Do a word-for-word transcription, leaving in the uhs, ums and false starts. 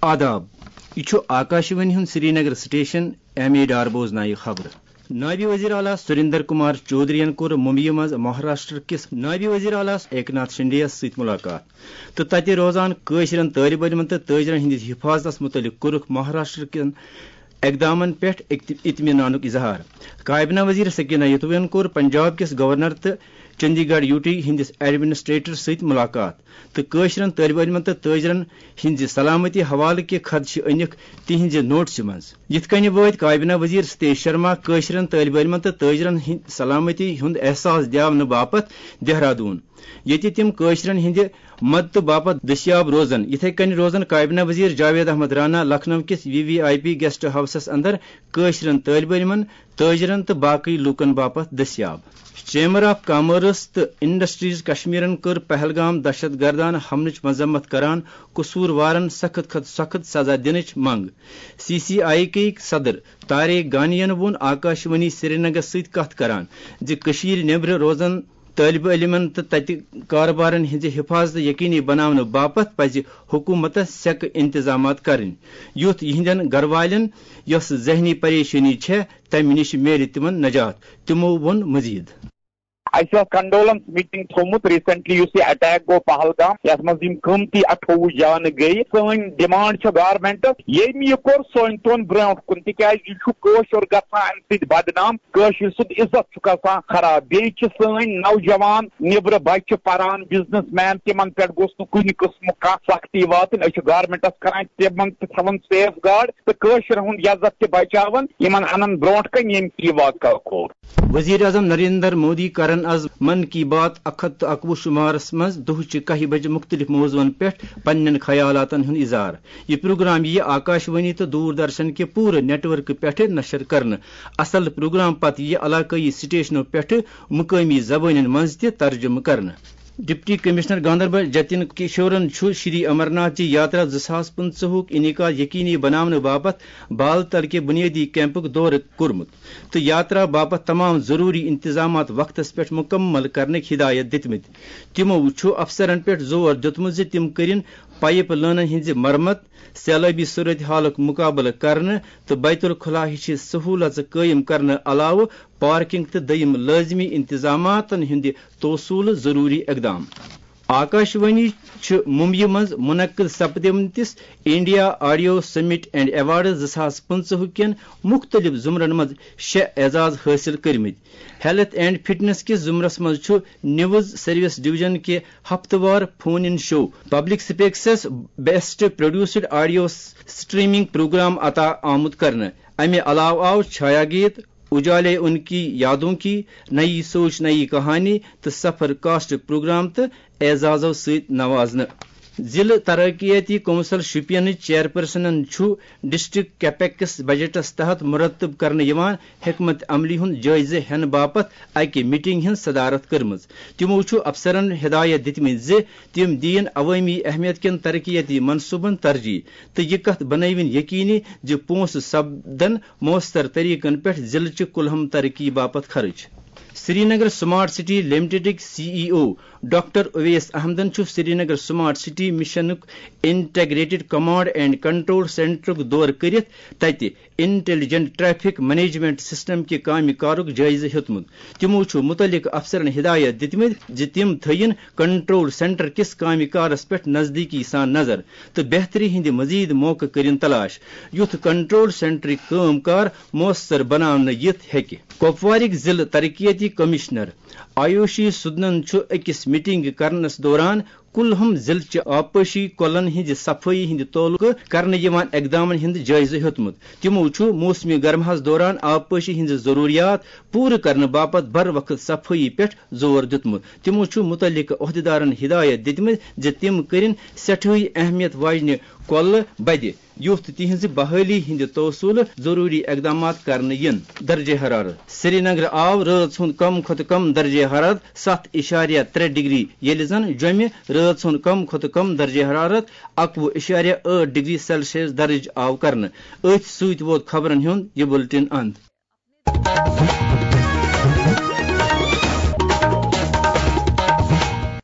آداب، یہِ چھُ آکاشوانی ہُنٛد Srinagar station. M A Dar بوزنایہِ خبرٕ۔ نٲیِب وزیر اعلیٰ سریندر کمار چودھرین کوٚر ممبیہِ منٛز مہاراشٹر کِس نٲیِب وزیر اعلیٰ ایکناتھ شنڈے یَس سۭتۍ مُلاقات تہٕ تَتہِ روزان کٲشرٮ۪ن طٲلب علمَن تہٕ تٲجرَن ہٕنٛدِس حِفاظتَس مُتعلِق کوٚرُکھ مہاراشٹر کٮ۪ن اقدامَن پٮ۪ٹھ اکت-، اطمینانُک اظہار۔ کابینہ وزیر سکینہ یتوین کوٚر پنجاب کِس گورنر تہٕ چندی گڑھ یو ٹی ہٕنٛدِس ایڈمنسٹریٹر سۭتۍ مُلاقات تہٕ کٲشرٮ۪ن طٲلب علمَن تہٕ تٲجرَن ہٕنٛزِ سلامتی حوالہٕ کہِ خدشہٕ أنِکھ تِہنٛزِ نوٹسہِ منٛز۔ یِتھ کٔنۍ وٲتۍ کابینہ وزیر ستیش شرما کٲشرٮ۪ن طٲلب علمَن تہٕ تٲجرَن ہٕنٛدِ سلامتی ہُنٛد احساس دِیاونہٕ باپتھ دہرادوٗن، ییٚتہِ تِم کٲشرٮ۪ن ہٕنٛدِ مدتہٕ باپتھ دٔستیاب روزن۔ یِتھے کٔنۍ روزن کابینہ وزیر جاوید احمد رانا لکھنؤ کِس V V I P guest ہاؤسَس اندر کٲشرٮ۪ن طٲلب علمَن، تٲجرَن تہٕ باقٕے لوٗکَن باپتھ دٔستیاب۔ چیمبر آف کامٲرٕس تہٕ انڈسٹریز کشمیرَن کٔر پہلگام دہشت گردانہٕ حملٕچ مذمت کران قصوٗروارَن سخت کھۄتہٕ سخت سزا دِنٕچ منٛگ۔ سی سی آئی کے صدر طارق گانیَن ووٚن آکاشوانی سرینگرَس سۭتۍ کتھ کران زِ کٔشیٖرِ نیبرٕ روزن طٲلب علمَن تہٕ تَتہِ کارٕبارَن ہٕنٛزِ حِفاظت یقینی بناونہٕ باپتھ پَزِ حکوٗمتَس سیٚکہٕ اِنتظامات کرٕنۍ، یُتھ یِہنٛدٮ۪ن گَرٕ والٮ۪ن یۄس ذہنی پریشٲنی چھےٚ، تَمہِ نِش میلہِ تِمَن نجات۔ تِمَو ووٚن مٔزیٖد۔ اَسہِ اوس کنڈولنس میٖٹنگ تھوٚومُت ریسنٹلی، یُس یہِ اٹیک گوٚو پہلگام، یَتھ منٛز یِم قۭمتی اَٹھووُہ جانہٕ گٔیہِ۔ سٲنۍ ڈیمانڈ چھِ گورنمنٹس، ییٚمۍ یہِ کوٚر، سُہ أنۍ تون برونٛٹھ کُن، تِکیازِ یہِ چھُ کٲشُر گژھان اَمہِ سۭتۍ بدنام۔ کٲشِر سُنٛد عزت چھُ گژھان خراب۔ بیٚیہِ چھِ سٲنۍ نوجوان نیٚبرٕ بچہِ پران، بزنس مین، تِمن پٮ۪ٹھ گوٚژھ نہٕ کُنہِ قٕسمُک کانٛہہ سختی واتٕنۍ۔ أسۍ چھِ گورنمنٹس کران تِمن تہِ تھاوان سیف گارڈ تہٕ کٲشرٮ۪ن ہُنٛد عزت تہِ بچاوان، یِمن انان برونٛٹھ کنہِ ییٚمۍ یہِ واقعہٕ کوٚر۔ وزیر اعظم نریندر مودی کرن از من کی بات اکھ ہتھ تہٕ اکوُہ شمارس منٛز دُہچہِ کاہہِ بجہِ مُختٔلِف موضوعن پٮ۪ٹھ پننٮ۪ن خیالاتن ہُنٛد اظہار۔ یہِ پروگرام یِیہِ آکاشوانی تہٕ دوردرشن کہِ پوٗرٕ نیٹ ورکہٕ پٮ۪ٹھٕ نشر کرنہٕ۔ اصل پروگرام پتہٕ یِیہِ علاقٲیی سٹیشنو پٮ۪ٹھٕ مقٲمی زبٲنٮ۪ن منٛز تہِ ترجمہٕ کرنہٕ۔ ڈپٹی کمشنر گاندربل جتن کشورن چھُ شری امرناتھ جی یاترا زٕ ساس پٕنٛژٕہُک انعقاد یقینی بناونہٕ باپتھ بال تل کہِ بنیٲدی کیمپُک دورٕ کوٚرمُت تہٕ یاترا باپتھ تمام ضروٗری انتظامات وقتس پٮ۪ٹھ مُکمل کرنٕکۍ ہدایت دِتمٕتۍ۔ تِمو چھُ افسرن پٮ۪ٹھ زور دیُتمُت زِ تِم کٔرِن پایپ لٲنن ہٕنٛزِ مرمت، سیلٲبی صورتحالُک مُقابلہٕ کرنہٕ تہٕ بیت الخلا ہِشہِ سہوٗلژٕ قٲیِم کرنہٕ علاوٕ پارکنگ تہٕ دوٚیِم لٲزمی انتظاماتن ہٕنٛدِ توسُولہٕ ضروٗری اقدام۔ آکاشوانی چھِ ممبیہِ منٛز منعقد سپدمتِس India audio summit and awards زٕ ساس پٕنٛژٕہ کٮ۪ن مُختٔلِف زمرن منٛز شےٚ اعزاز حٲصِل کٔرمٕتۍ۔ ہیلتھ اینڈ فٹنس کِس زمرس منٛز چھُ نیوز سروس ڈویژن کہِ ہفتہٕ وار فون ان شو پبلک سپیکسس best produced audio streaming programme عطا آمُت کرنہٕ۔ امہِ علاوٕ آو چھایا گیت، اجالے ان کی یادوں کی، نئی سوچ نئی کہانی تہٕ سفر کاسٹ پروگرام تہٕ اعزازو سۭتۍ نوازنہٕ۔ ضلع ترقیتی کونسل شوپینٕچ چیئرپرسنن چھُ ڈسٹرکٹ کیپیکس بجٹس تحت مرتب کرنہٕ یِوان حکمت عملی ہُنٛد جٲیزٕ ہٮ۪نہٕ باپتھ اکہِ میٹنگ ہٕنٛز صدارت کٔرمٕژ۔ تِمو چھُ افسرن ہدایت دِتمٕتۍ زِ تِم دِیِن عوٲمی اہمیت کٮ۪ن ترقیتی منصوبن ترجیح تہٕ یہِ کتھ بنٲوِن یقینی زِ پونٛسہٕ سپدن مؤثر طریقن پٮ۪ٹھ ضلعہٕ چہِ کُلہم ترقی باپتھ خرٕچ۔ سرینگر سمارٹ سٹی لمیٹڈٕکۍ C E O doctor Owais احمدن چھُ سرینگر سمارٹ سٹی مشنُک انٹیگریٹڈ کمانڈ اینڈ کنٹرول سینٹرُک دورٕ کٔرِتھ تَتہِ انٹیلیجنٹ ٹریفک مینجمنٹ سسٹم کہِ کامہِ کارُک جٲیزٕ ہیوٚتمُت۔ تِمو چھُ مُتعلقہٕ افسرن ہدایت دِتمٕتۍ زِ تِم تھٲوِن کنٹرول سینٹر کِس کامہِ کارس پٮ۪ٹھ نزدیٖکی سان نظر تہٕ بہتری ہٕنٛدِ مزید موقعہٕ کٔرِن تلاش، یُتھ کنٹرول سینٹرٕکۍ کٲم کار مؤثر بناونہٕ یِتھ ہیٚکہِ۔ کپوارٕکۍ ضلعہٕ ترقیتی کمشنر آیوشی سودنن چھُ أکِس میٹنگ کرنس دوران کُلہم ضلعہٕ چہِ آبپاشی کۄلن ہٕنٛزِ صفٲیی ہٕنٛدِ تعلقہٕ کرنہٕ یِوان اقدامن ہُنٛد جٲیزٕ ہیوٚتمُت۔ تِمو چھُ موسمِ گرماہس دوران آبپاشی ہٕنٛزٕ ضروٗریات پوٗرٕ کرنہٕ باپتھ بر وقت صفٲیی پٮ۪ٹھ زور دیُتمُت۔ تِمو چھُ مُتعلقہٕ عہدیدارن ہدایت دِتمٕتۍ زِ تِم کٔرِن سٮ۪ٹھٲہی اہمیت واجنہِ کۄلہٕ بدِ، یُتھ تِہنٛزِ بحٲلی ہٕنٛدِ توسُلہٕ ضروٗری اقدامات کرنہٕ یِن۔ درجہ حرارت۔ سرینگرٕ آو رٲژ ہُنٛد کم کھۄتہٕ کم درجہ حرارت ستھ اِشاریہ ترٛےٚ ڈگری، ییٚلہِ زن جوٚمہِ رٲژ ہُنٛد کم کھۄتہٕ کم درجہ حرارت اکوُہ اِشاریہ ٲٹھ ڈگری سیلسیس درج آو کرنہٕ۔ أتھۍ سۭتۍ ووت خبرن ہُنٛد یہِ بُلٹن اند۔